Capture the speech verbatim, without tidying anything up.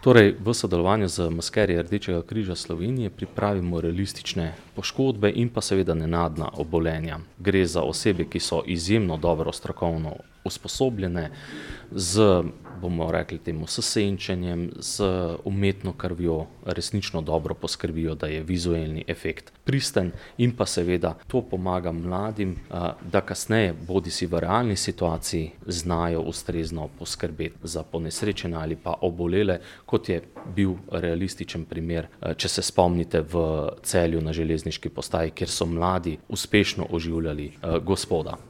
Torej, v sodelovanju z maskerji Rdečega križa Slovenije pripravimo realistične poškodbe in pa seveda nenadna obolenja. Gre za osebe, ki so izjemno dobro strokovno usposobljene z, bomo rekli temu, s senčenjem, z umetno krvjo, resnično dobro poskrbijo, da je vizuelni efekt pristen in pa seveda to pomaga mladim, da kasneje bodisi v realni situaciji znajo ustrezno poskrbeti za ponesrečene ali pa obolele, kot je bil realističen primer, če se spomnite v Celju na železniški postaji, kjer so mladi uspešno oživljali gospoda.